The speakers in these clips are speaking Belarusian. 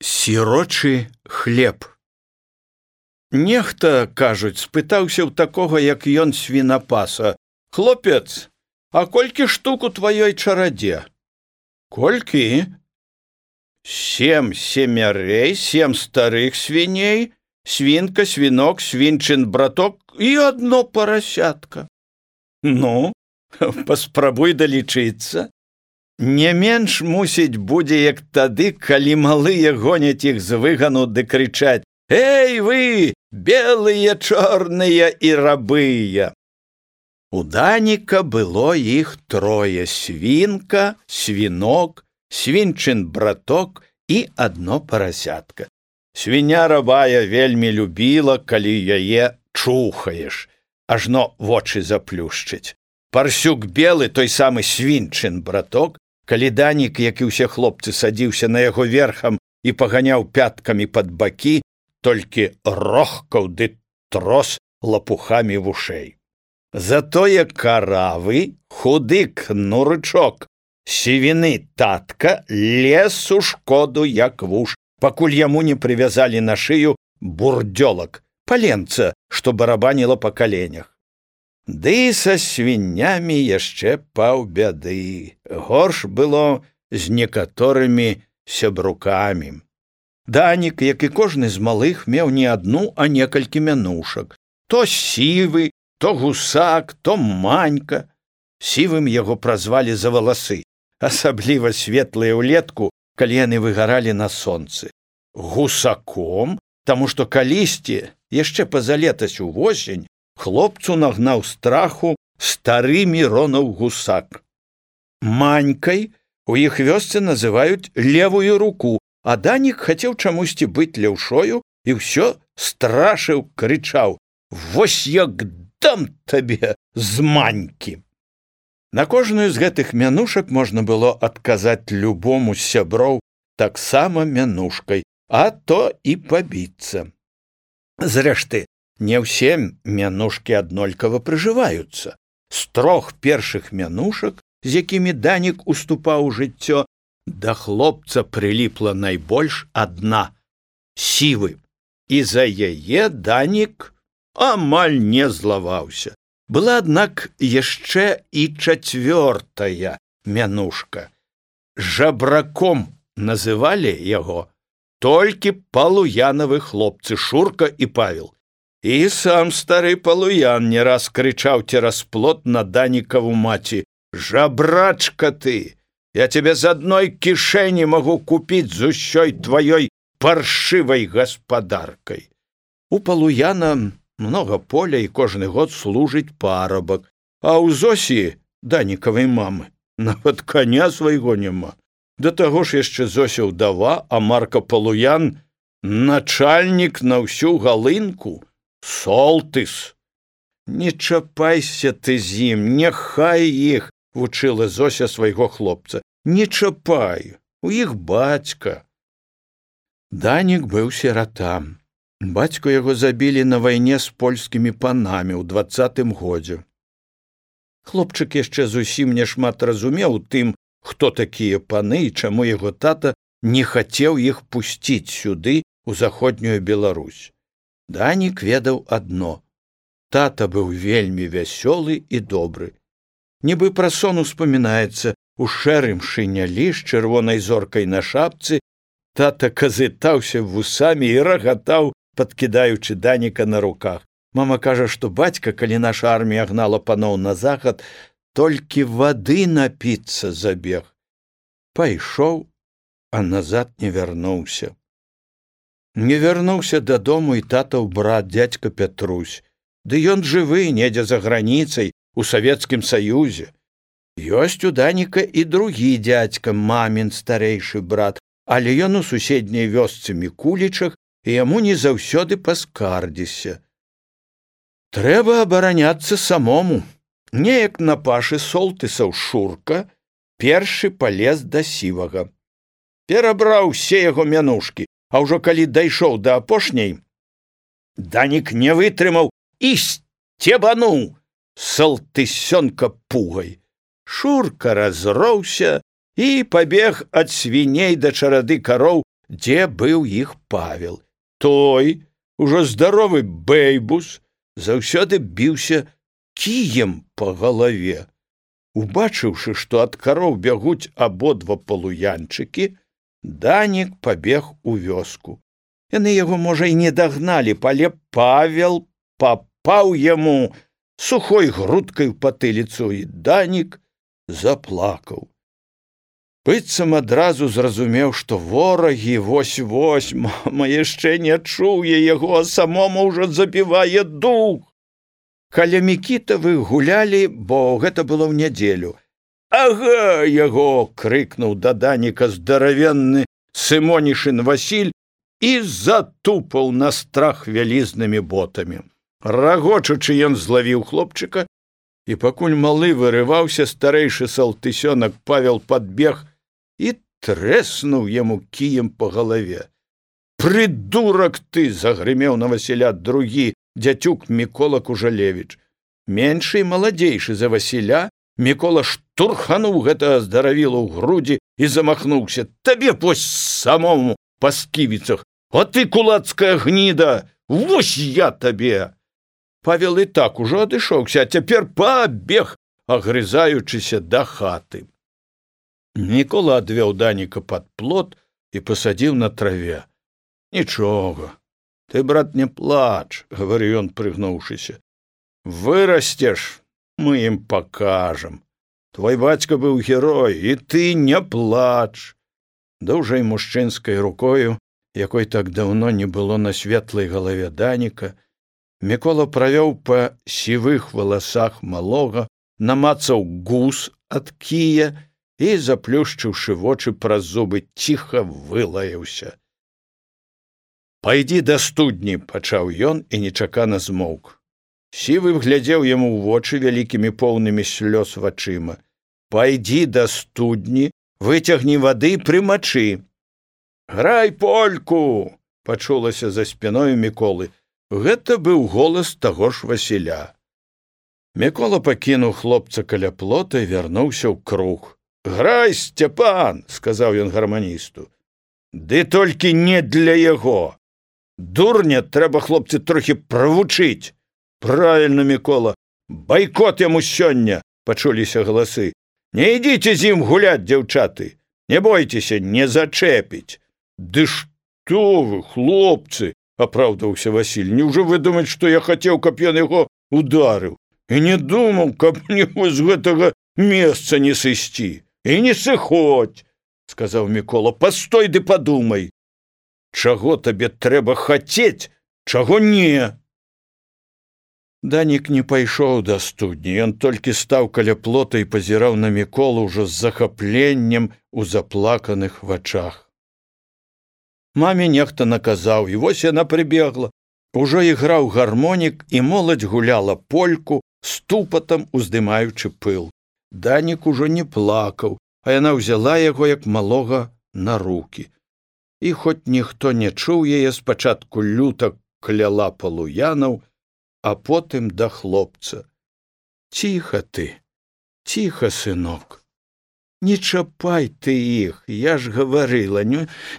Сірочы хлеб. Нехта, кажуць, спытаўся ў такога, як ён свінапаса: «Хлопец, а колькі штук у тваёй чарадзе?» «Колькі?» «7 семярей, 7 старых свіней, свінка, свінок, свінчын браток і одно парасятка». «Ну, паспрабуй далічыцца. Не менш, мусіць, будзе, як тады, калі малыя гоняць іх з выгану ды крычаць: «Эй, вы, белыя, чорныя і рабыя!» У Даніка было іх 3: свінка, свінок, свінчын браток і одно парасятка. Свіня рабая вельмі любіла, калі яе чухаеш, ажно вочы заплюшчыць. Парсюк белы, той самы свінчын браток, калі Данік, як і ўсе хлопцы, садзіўся на яго верхам і паганяў пяткамі пад бакі, толькі рохкаў ды трос лапухамі вушэй. Затое каравы, худы кнурычок, сівіны татка лез у шкоду, як вуш, пакуль яму не прывязалі на шыю бурдзёлак, паленца, што барабаніла па каленях. Ды са свіннямі яшчэ паўбяды. Горш было з некаторымі сябрукамі. Данік, як і кожны з малых, меў не адну, а некалькі мянушак. То сівы, то гусак, то манька. Сівым яго празвалі за валасы, асабліва светлыя ўлетку, калі яны выгаралі на сонцы. Гусаком, таму што калісьці, яшчэ пазалетась увосень, хлопцу нагнаў страху стары Міронаў гусак. Манькай у іх вёсцы называюць левую руку, а Данік хацеў чамусьці быць леўшою і ўсё страшыў, крычаў: «Вось як дам табе з манькі!» На кожную з гэтых мянушак можна было адказаць любому з сяброў таксама мянушкай, а то і пабіцца. Зрэшты, не ўсе мянушкі аднолькава прыжываюцца. З 3 першых мянушак, з якімі Данік уступаў у жыццё, да хлопца прыліпла найбольш адна — сівы. І за яе Данік амаль не злаваўся. Была, аднак, яшчэ і 4 мянушка. Жабраком называлі яго толькі палуянавы хлопцы Шурка і Павел. І сам стары палуян не раз крычаў цераз плот на Данікаву маці: «Жабрачка ты! Я тебе з адной кішэні магу купіць з усёй тваёй паршывай гаспадаркай». У палуяна многа поля і кожны год служыць парабак, а ў Зосі, Данікавай мамы, нават коня свайго няма. Да таго ж яшчэ Зося ўдава, а Марка палуян — начальнік на ўсю галынку. Солтыс. «Не чапайся ты з ім, няхай іх», — вучыла Зося свайго хлопца. «Не чапай, у іх бацька». Данік быў сірата. Бацьку яго забілі на вайне з польскімі панамі ў 20-м годзе. Хлопчык яшчэ зусім няшмат разумеў у тым, хто такія паны і чаму яго тата не хацеў іх пусціць сюды, у заходнюю Беларусь. Данік ведаў адно: тата быў вельмі вясёлы і добры. Нібы пра сон успамінаецца, у шэрым шынялі з чырвонай зоркай на шапцы тата казытаўся вусамі і рагатаў, падкідаючы Даніка на руках. Мама кажа, што бацька, калі наша армія гнала паноў на захад, толькі вады напіцца забег. Пайшоў, а назад не вярнуўся. Не вярнуўся дадому і татаў брат, дзядзька Пятрусь. Ды ён жывы, недзе за граніцай, у Савецкім Саюзе. Ёсць у Даніка і другі дзядзька, мамін старэйшы брат, але ён у суседняй вёсцы Мікулічах, і яму не заўсёды паскардзіся. Трэба абараняцца самому. Неяк на пашы Солтысаў Шурка першы палез да сівага. Перабраў усе яго мянушкі, а ўжо калі дайшоў да апошняй, Данік не вытрымаў і сцебануў Салтысёнка пугай. Шурка разроўся і пабег ад свіней да чарады кароў дзе быў іх Павел. Той, ужо здаровы бэйбус, заўсёды біўся кіем па галаве. Убачыўшы, што ад кароў бягуць абодва палуянчыкі, Данік пабег у вёску. Яны яго, можа, і не дагналі, але Павел папаў яму сухой грудкай у патыліцу, і Данік заплакаў. Быццам адразу зразумеў, што ворагі вось-вось, мама яшчэ не чуе яго, а самому ўжо забівае дух. Каля Мікітавых гулялі, бо гэта было ў нядзелю. «Ага яго!» — крыкнуў да Даніка здаравенны Сымонішын Васіль і затупаў на страх вялізнымі ботамі. Рагочучы ён злавіў хлопчыка, і пакуль малы вырываўся, старэйшы салтысёнак Павел падбег і трэснуў яму кіем па галаве. «Прыдурак ты!» — загрымеў на Васіля другі дзяцюк Мікола Кужалевіч. Меншы і маладзейшы за Васіля, Мікола штурхануў гэтага здаравіла ў грудзі і замахнуўся. «Табе вось самому па сківіцах! А ты, кулацкая гніда! Вось я табе!» Павел і так ужо адышоўся, а цяпер пабег, агрызаючыся да хаты. Мікола адвёў Даніка пад плот і пасадзіў на траве. «Нічога, ты, брат, не плач», — гаварыў ён, прыгнуўшыся. «Вырасцеш, мы ім пакажам. Твой бацька быў герой, і ты не плач». Даўжэй мужчынскай рукою, якой так даўно не было на светлай галаве Даніка, Мікола правёў па сівых валасах малога, намацаў гуз ад кія і, заплюшчыўшы вочы праз зубы, ціха вылаяўся. «Пайдзі да студні», — пачаў ён і нечакана змоўк. Сівы глядзеў яму ў вочы вялікімі поўнымі слёз вачыма. «Пайдзі да студні, выцягні вады і прымачы». «Грай польку!» — пачулася за спіною Міколы. Гэта быў голас таго ж Васіля. Мікола пакінуў хлопца каля плота і вярнуўся ў круг. «Грай, Сцяпан!» — сказаў ён гарманісту. «Ды толькі не для яго. Дурня трэба, хлопцы, трохі правучыць». «Правільна, Мікола, байкот яму сёння!» — пачуліся галасы. «Не ідзіце з ім гуляць, дзяўчаты! Не бойцеся, не зачэпіць!» «Ды што вы, хлопцы!» — апраўдаўся Васіль. «Неўжо вы думаць, што я хацеў, каб ён яго ударыў? І не думаў, каб мне з гэтага месца не сысці. І не сыходзь!» — сказаў Мікола. «Пастой ды падумай! Чаго табе трэба хацець, чаго не!» Данік не пайшоў да студні, ён толькі стаў каля плота і пазіраў на Міколу ўжо з захапленнем у заплаканых вачах. Маме нехта наказаў, і вось яна прыбегла. Ужо іграў гармонік, і моладзь гуляла польку, ступатам уздымаючы пыл. Данік ужо не плакаў, а яна ўзяла яго, як малога, на рукі. І хоць ніхто не чуў яе, спачатку люта кляла палуянаў, а потым да хлопца. «Ціха ты, ціха, сынок. Не чапай ты іх, я ж гаварыла,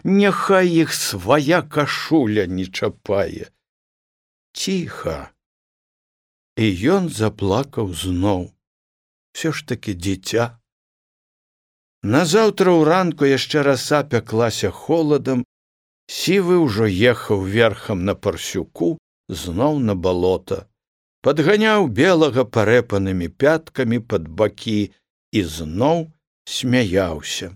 няхай іх свая кашуля не чапае. Ціха». І ён заплакаў зноў. Всё ж такі дзіця. Назаўтра ўранку яшчэ раса пяклася холадам, Сівы ўжо ехаў верхам на парсюку, зноў на балота, падганяў белага парэпанымі пяткамі пад бакі і зноў смяяўся.